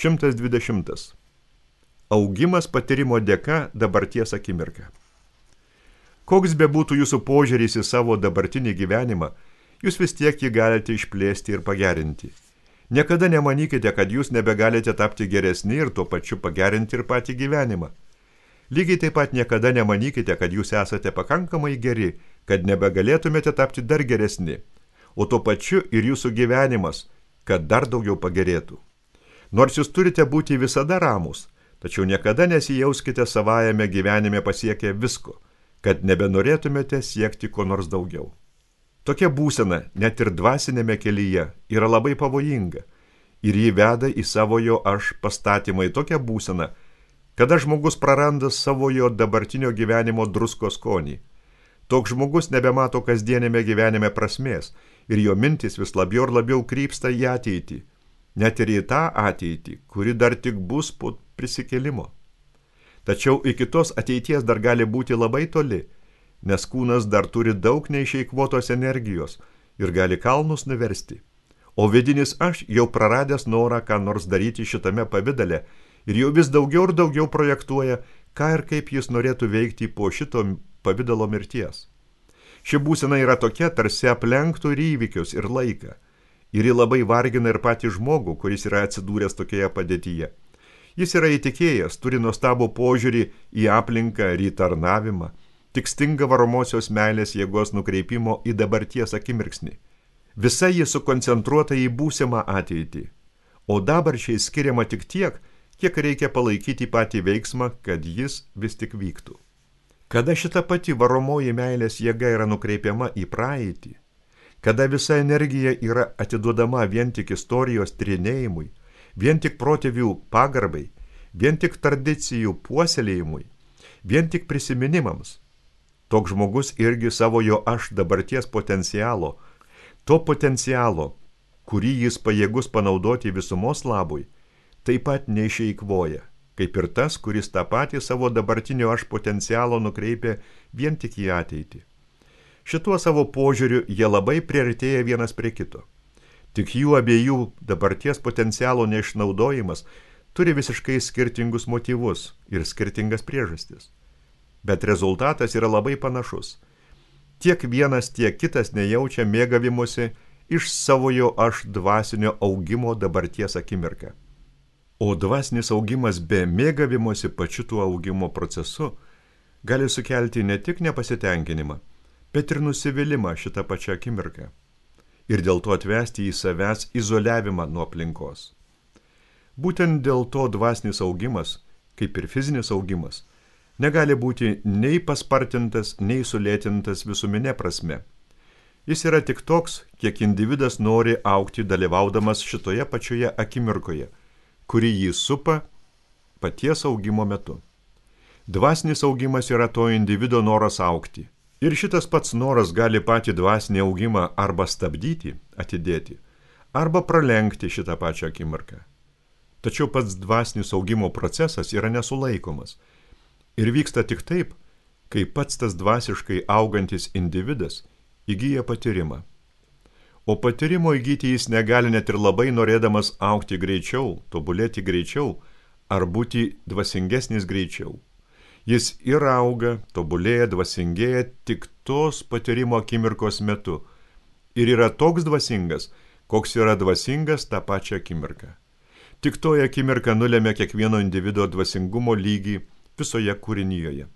120. Augimas patyrimo dėka dabarties akimirka. Koks bebūtų jūsų požiūris į savo dabartinį gyvenimą, jūs vis tiek jį galite išplėsti ir pagerinti. Niekada nemanykite, kad jūs nebegalite tapti geresni ir tuo pačiu pagerinti ir patį gyvenimą. Lygiai taip pat niekada nemanykite, kad jūs esate pakankamai geri, kad nebegalėtumėte tapti dar geresni, o tuo pačiu ir jūsų gyvenimas, kad dar daugiau pagerėtų. Nors jūs turite būti visada ramus, tačiau niekada nesijauskite savajame gyvenime pasiekę visko, kad nebenorėtumėte siekti ko nors daugiau. Tokia būsena, net ir dvasinėme kelyje, yra labai pavojinga ir jį veda į savojo aš pastatymą į tokią būseną, kada žmogus praranda savojo dabartinio gyvenimo drusko skonį. Toks žmogus nebemato kasdienėme gyvenime prasmės ir jo mintis vis labiau ir labiau krypsta į ateitį, net ir į tą ateitį, kuri dar tik bus po prisikėlimo. Tačiau iki tos ateities dar gali būti labai toli, nes kūnas dar turi daug neišeikvotos energijos ir gali kalnus nuversti. O vidinis aš jau praradęs norą ką nors daryti šitame pavidale ir jau vis daugiau ir daugiau projektuoja, ką ir kaip jis norėtų veikti po šito pavidalo mirties. Ši būsena yra tokia, tarsi aplenktų ir įvykius, ir laiką. Ir ji labai vargina ir patį žmogų, kuris yra atsidūręs tokioje padėtyje. Jis yra įtikėjęs, turi nuostabų požiūrį į aplinką ir į tarnavimą, tik stinga varomosios meilės jėgos nukreipimo į dabarties akimirksnį. Visa ji sukoncentruota į būsimą ateitį, o dabarčiai skiriama tik tiek, kiek reikia palaikyti patį veiksmą, kad jis vis tik vyktų. Kada šita pati varomoji meilės jėga yra nukreipiama į praeitį, kada visa energija yra atiduodama vien tik istorijos tyrinėjimui, vien tik protėvių pagarbai, vien tik tradicijų puoselėjimui, vien tik prisiminimams, toks žmogus irgi savojo aš dabarties potencialo, to potencialo, kurį jis pajėgus panaudoti visumos labui, taip pat neišeikvoja, kaip ir tas, kuris tą patį savo dabartinio aš potencialo nukreipia vien tik į ateitį. Šituo savo požiūriu jie labai priartėja vienas prie kito. Tik jų abiejų dabarties potencialo neišnaudojimas turi visiškai skirtingus motyvus ir skirtingas priežastis. Bet rezultatas yra labai panašus. Tiek vienas, tiek kitas nejaučia mėgavimuose iš savojo aš dvasinio augimo dabarties akimirką. O dvasinis augimas be mėgavimuose pačiu tuo augimo procesu gali sukelti ne tik nepasitenkinimą, bet ir nusivylimą šitą pačią akimirką. Ir dėl to atvesti į savęs izoliavimą nuo aplinkos. Būtent dėl to dvasinis augimas, kaip ir fizinis augimas, negali būti nei paspartintas, nei sulėtintas visuminė prasme. Jis yra tik toks, kiek individas nori augti dalyvaudamas šitoje pačioje akimirkoje, kuri jį supa paties augimo metu. Dvasinis augimas yra to individo noras augti. Ir šitas pats noras gali patį dvasinį augimą arba stabdyti, atidėti, arba pralenkti šitą pačią akimirką. Tačiau pats dvasinis augimo procesas yra nesulaikomas ir vyksta tik taip, kai pats tas dvasiškai augantis individas įgyja patyrimą. O patyrimo įgyti jis negali net ir labai norėdamas augti greičiau, tobulėti greičiau ar būti dvasingesnis greičiau. Jis ir auga, tobulėja, dvasingėja tik tos patyrimo akimirkos metu ir yra toks dvasingas, koks yra dvasingas tą pačią akimirką. Tik toje akimirka nulemia kiekvieno individo dvasingumo lygį visoje kūrinyjoje.